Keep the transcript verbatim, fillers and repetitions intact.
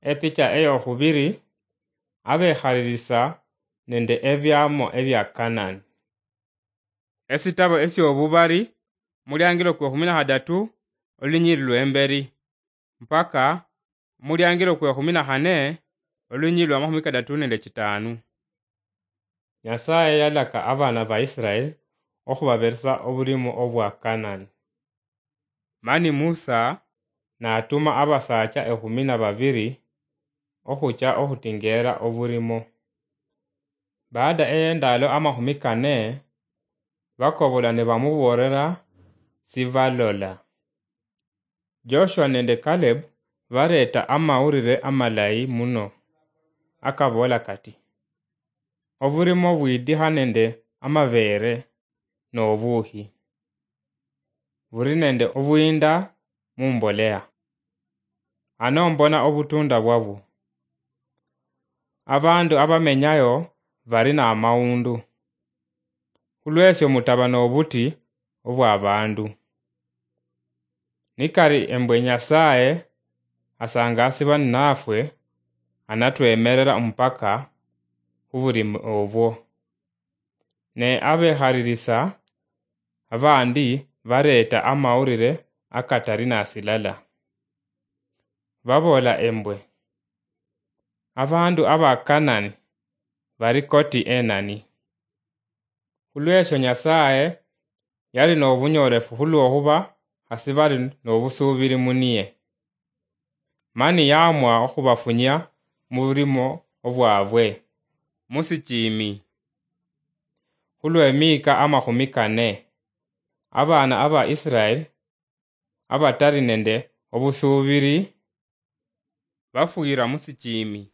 Epicha eyokhubiri, abekhalilisa nende ebiamo ebia Kanani. Esitabo esiobubari, muliangilo kwekhumi na khadatu, olunyili lwemberi, mpaka muliangilo kwekhumi na khane, olunyili lwa makhumi kadatu nende chitanu. Nyasaye yalaka abana ba Israel okhubaberesa obulimo obwa Kanani. Mani Musa natuma abasaacha ekhumi na babiri okhucha okhutingeera obulimo. Baada ey'endaalo amakhumi kane, bakobola nibamuboolera sibalola. Joshua nende Caleb bareeta amawulire amalayi muno, akaboola kati, "Obulimo bwidikha nende amabeere nobuukhi, buli nende obuyinda mumboleya. Ano mbona obutunda bwabwo. Abandu abamenyayo bali namawundu. Khulwesyo mutaba nobuti obwabandu. Nikali embwe Nyasaye asangasiba ninafwe, anatwemerera omupaka khubulimo obwo." Ne abekhalilisa abandi bareeta amawulire akatali nasilala. Baboola embwe, "Abandu aba Kanani bali koti enani?" Khulwesyo Nyasaye yali nobunyoolefu khulwokhuba khasi bali nobusuubili muniye. Mani yaamwa okhubafunyia mubulimo obwabwe musichimi. Khulwemiika amakhumi kane, abaana aba Israel abatali nende obusuubili bafwira musichimi.